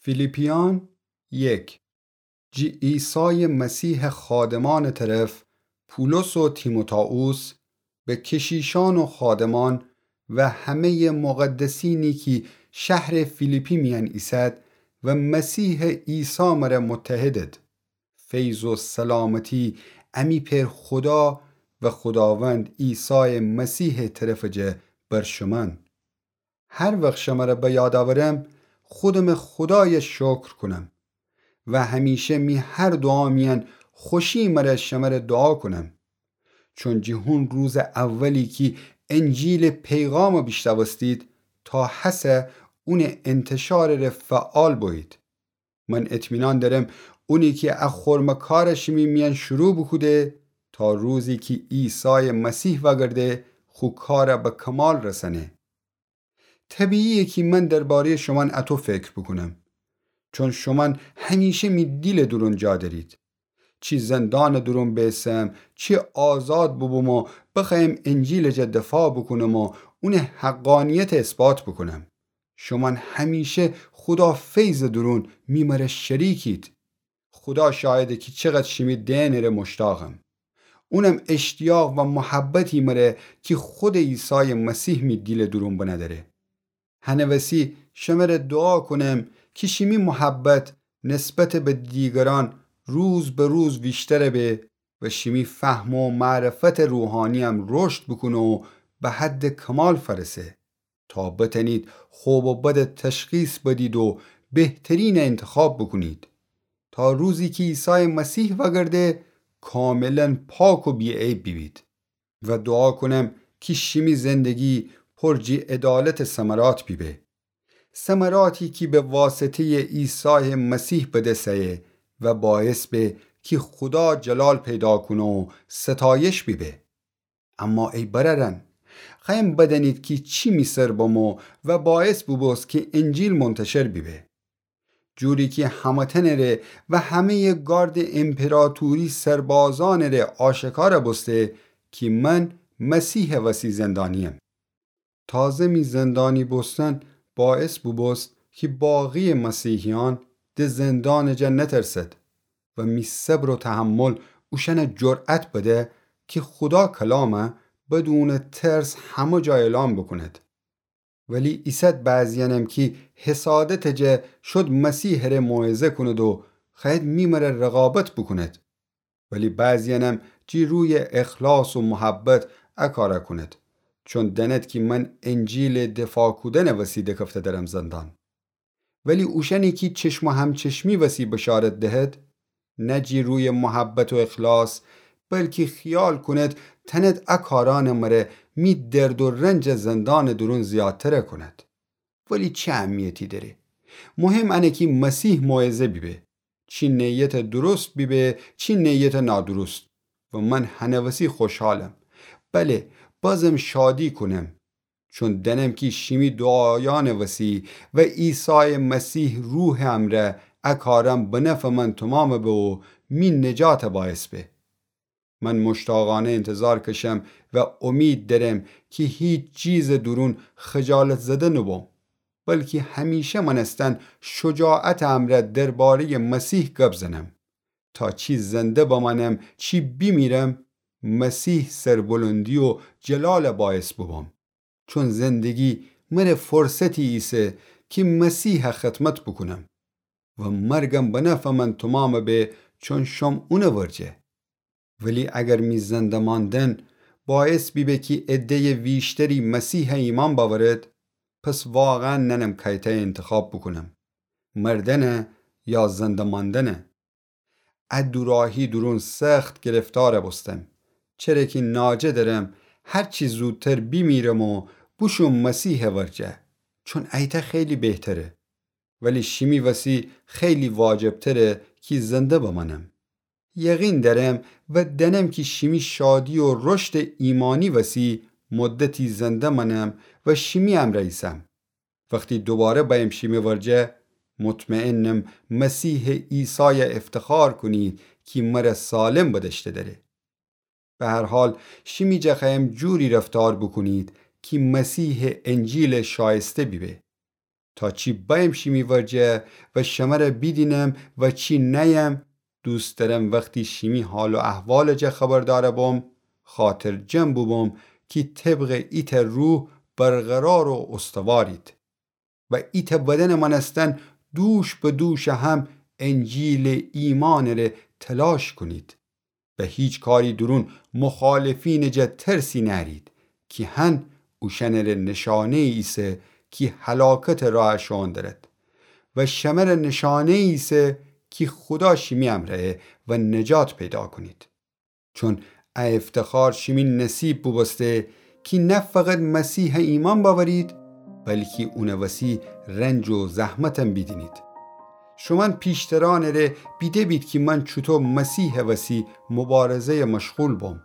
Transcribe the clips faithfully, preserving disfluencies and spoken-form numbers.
فیلیپیأن یک. جی عیسای مسیحٚ خادمأنٚ طرف پولس و تیموتائوس، به کشیشأن و خادمأن و همه‌یٚ مقدسینی کی شهرٚ فیلیپی میأن ایسد و مسیحٚ عیسی مره متحدد. فیض و سلامتی امی پئر خودا و خوداوند عیسایٚ مسیحٚ طرفٚ جه بر شومأن. هر وخت شمره به یاد اورم، خودمٚ خودایه شکر کونم و همیشه می هر دوعا میأن خوشی مره شمره دوعا کونم. چون جی هون روزٚ اولی کی انجیلٚ پیغام بیشنوستید، تا هسه اونٚ انتشارٚ ره فعال بویید. من اطمینان دأرم اونی کی ا خورمٚ کار شیمی میأن شروع بوکوده، تا روزی کی عیسایٚ مسیح وأگرده خو کار به کمال رسأنه. طبیعیه کی من درباره‌یٚ شومأن اطو فکر بوکونم، چون شومأن همیشه می دیلٚ دورون جا دأرید. چی زندانٚ دورون بیسم، چی آزاد بوبوم و بخوأیم انجیلٚ جا دفاع بوکونم و اونٚ حقانیت اثبات بوکونم، شومأن همیشه خودا فیضٚ دورون می مره شریکید. خودا شاهده کی چقدر شیمی دئنٚ ره مشتاقم. اونم اشتیاق و محبتی مره کی خودٚ عیسایٚ مسیح می دیلٚ دورون بنه دأره. هنٚ وسی شمره دوعا کونم کی شیمی محبت نسبتٚ به دیگرأن روز به روز ویشتر به و شیمی فهم و معرفتٚ روحانییم رشد بوکونه و به حدٚ کمال فأرسه، تا بتأنید خوب و بدٚ تشخیص بدید و بهترینٚ انتخاب بوکونید، تا روزی کی عیسایٚ مسیح وأگرده کاملا پاک و بی‌عیب بیبید. و دوعا کونم کی شیمی زندگی پر جی عدالتٚ ثمرات بیبه. ثمراتی کی به واسطه‌یٚ عیسایٚ مسیح به دس ایه و باعث به کی خودا جلال پیدا کونه و ستایش بیبه. اما ای برأرأن، خوأیم بدأنید کی چی می سر بمو و باعث بوبوست کی انجیل منتشر بیبه. جوری کی همه‌تأنٚ ره و همه‌یٚ گاردٚ امپراتوری سربازأنٚ ره آشکار بوسته کی من مسیحٚ وسی زندانییم. تازه می زندانی بوستن باعث بوبوست کی باقی‌یٚ مسیحیأن ده زندانٚ جا نترسد و می صبر و تحمل اوشأنٚ جرأت بده کی خودا کلام بدونٚ ترس همه جا اعلان بوکوند. ولی ایسد بعضیأنم کی حسادتٚ جا شد مسیحٚ ره موعظه کوند و خوأید می مره رقابت بوکوند. ولی بعضیأنم جی روی اخلاص و محبت ا کار کوند، چون دأند کی من انجیلٚ دفاع کودنٚ وسی دکفته درم زندان. ولی اوشأنی کی چشم و همچشمی وسی بشارت دهد، نه جی روی محبت و اخلاص، بلکی خیال کوند تأند ا کارأنٚ مره می درد و رنج زندانٚ دورون زیادتر کوند. ولی چی اهمیتی دأره؟ مهم انه کی مسیح موعظه بیبه، چی نیتٚ درست بیبه، چی نیتٚ نادرست. و من هنٚ وسی خوشحالم، بله، بازم شادی کونم، چون دأنم کی شیمی دوعایأنٚ وسی و عیسایٚ مسیح روحٚ امرأ ا کارأن به نفعٚ من تومام به و می نجاتٚ باعث به. من مشتاقأنه انتظار کشم و امید دأرم کی هیچ چیزٚ دورون خجالت زده نوبوم، بلکی همیشه مأنستن شجاعتٚ امرأ درباره‌یٚ مسیح گب زنم، تا چی زنده بمأنم چی بیمیرم، مسیح سربلندی و جلالٚ باعث بوبوم. چون زندگی مره فرصتی ایسه کی مسیح خدمت بوکونم و مرگم به نفعٚ من تومام به، چون شوم اونٚ ورجه. ولی اگر می زنده ماندن باعث بیبه کی عده‌یٚ ویشتری مسیح ایمأن بأورد، پس واقعا نأنم کأیتأ انتخاب بوکونم، مردنه یا زنده ماندنه. ا دوراهی دورون سخت گرفتار بوستم، چره کی ناجه دأرم هرچی زودتر بیمیرم و بوشوم مسیحٚ ورجه، چون ایتأ خیلی بهتره. ولی شیمی وسی خیلی واجبتره کی زنده بمأنم. یقین دأرم و دأنم کی شیمی شادی و رشدٚ ایمانی وسی مدتی زنده مأنم و شیمی امرأ ایسم. وختی دوباره بأیم شیمی ورجه، مطمئنم مسیحٚ عیسای افتخار کونید کی مره سالم بدأشته دأره. به هر حال، شیمی جا خوأیم جوری رفتار بوکونید کی مسیحٚ انجیل شایسته بیبه. تا چی بأیم شیمی ورجه و شمره بیدینم و چی نأیم، دوست دأرم وختی شیمی حال و احوالٚ جا خبردأر بوم، خاطرجم بوبوم کی طبقٚ ایتأ روح برقرار و استوارید و ایتأ بدنٚ مأنستن دوش به دوشٚ هم انجیلٚ ایمأنٚ ره تلاش کونید و هیچ کاری دورون مخالفینٚ جا ترسی نأرید کی هن اوشأنٚ ره نشانه‌یی ایسه کی هلاکتٚ راه شوئون دأرد و شمره نشانه‌یی ایسه کی خودا شیمی امرأیه و نجات پیدا کونید. چون ا افتخار شیمی نصیب بوبوسته کی نه فقط مسیحَ ایمأن بأورید، بلکی اونٚ وسی رنج و زحمتم بیدینید. شومأن پیشترأنٚ ره بیده بید کی من چوطو مسیحٚ وسی مبارزه‌یَ مشغول بوم.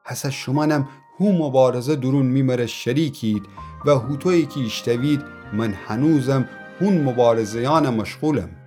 هسه شومأنم هو مبارزه دورون می مره شریکید و هوطویی کی ایشتأوید، من هنوزم هون مبارزه‌یأنَ مشغولم.